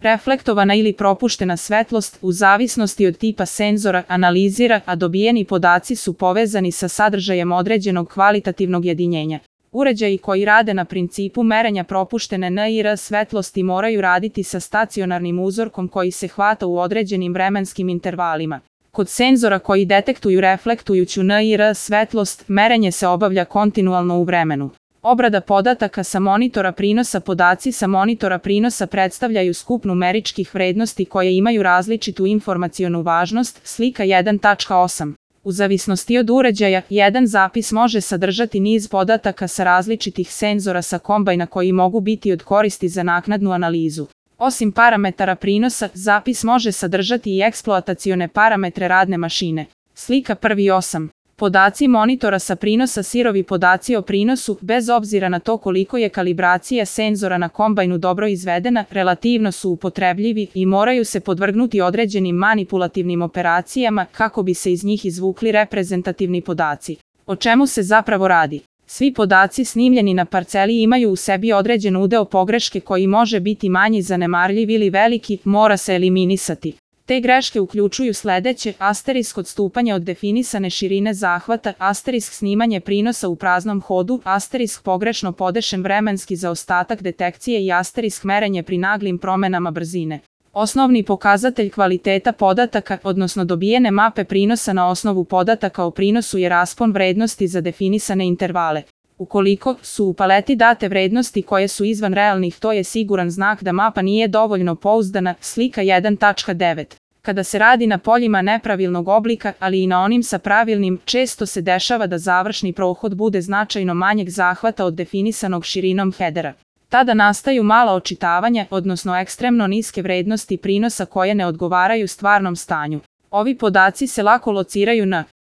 reflektovana ili propuštena svetlost u zavisnosti od tipa senzora analizira, a dobijeni podaci su povezani sa sadržajem određenog kvalitativnog jedinjenja. Uređaji koji rade na principu merenja propuštene NIR svetlosti moraju raditi sa stacionarnim uzorkom koji se hvata u određenim vremenskim intervalima. Kod senzora koji detektuju reflektujuću NIR svetlost, merenje se obavlja kontinualno u vremenu. Obrada podataka sa monitora prinosa. Podaci sa monitora prinosa predstavljaju skup numeričkih vrednosti koje imaju različitu informacionu važnost, slika 1.8. U zavisnosti od uređaja, jedan zapis može sadržati niz podataka sa različitih senzora sa kombajna koji mogu biti od koristi za naknadnu analizu. Osim parametara prinosa, zapis može sadržati i eksploatacione parametre radne mašine. Slika 1.8. Podaci monitora sa prinosa. Sirovi podaci o prinosu, bez obzira na to koliko je kalibracija senzora na kombajnu dobro izvedena, relativno su upotrebljivi i moraju se podvrgnuti određenim manipulativnim operacijama kako bi se iz njih izvukli reprezentativni podaci. O čemu se zapravo radi? Svi podaci snimljeni na parceli imaju u sebi određen udeo pogreške koji može biti manji, zanemarljiv ili veliki, mora se eliminisati. Te greške uključuju sledeće: asterisk odstupanje od definisane širine zahvata, asterisk snimanje prinosa u praznom hodu, asterisk pogrešno podešen vremenski zaostatak detekcije i asterisk merenje pri naglim promenama brzine. Osnovni pokazatelj kvaliteta podataka, odnosno dobijene mape prinosa na osnovu podataka o prinosu je raspon vrednosti za definisane intervale. Ukoliko su u paleti date vrednosti koje su izvan realnih, to je siguran znak da mapa nije dovoljno pouzdana, slika 1.9. Kada se radi na poljima nepravilnog oblika, ali i na onim sa pravilnim, često se dešava da završni prohod bude značajno manjeg zahvata od definisanog širinom hedera. Tada nastaju mala očitavanja, odnosno ekstremno niske vrednosti prinosa koje ne odgovaraju stvarnom stanju. Ovi podaci se lako lociraju na